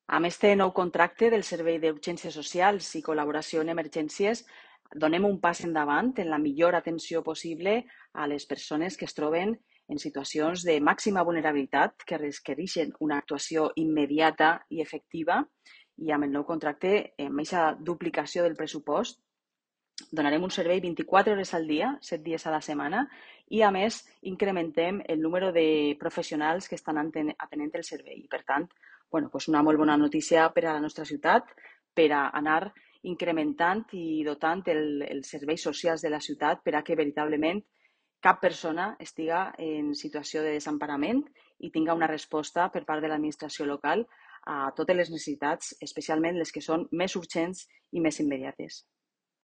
Amb este nou contracte del Servei d'Urgències Socials i Col·laboració en Emergències, donem un pas endavant en la millor atenció possible a les persones que es troben en situacions de màxima vulnerabilitat que requereixen una actuació immediata i efectiva, i amb el nou contracte, amb aquesta duplicació del pressupost, donarem un servei 24 hores al dia, 7 dies a la setmana, i a més incrementem el número de professionals que estan atenent el servei. I per tant, doncs una molt bona notícia per a la nostra ciutat, per a anar incrementant i dotant els serveis socials de la ciutat per a que veritablement cap persona estiga en situació de desemparament i tinga una resposta per part de l'administració local a totes les necessitats, especialment les que són més urgents i més immediates.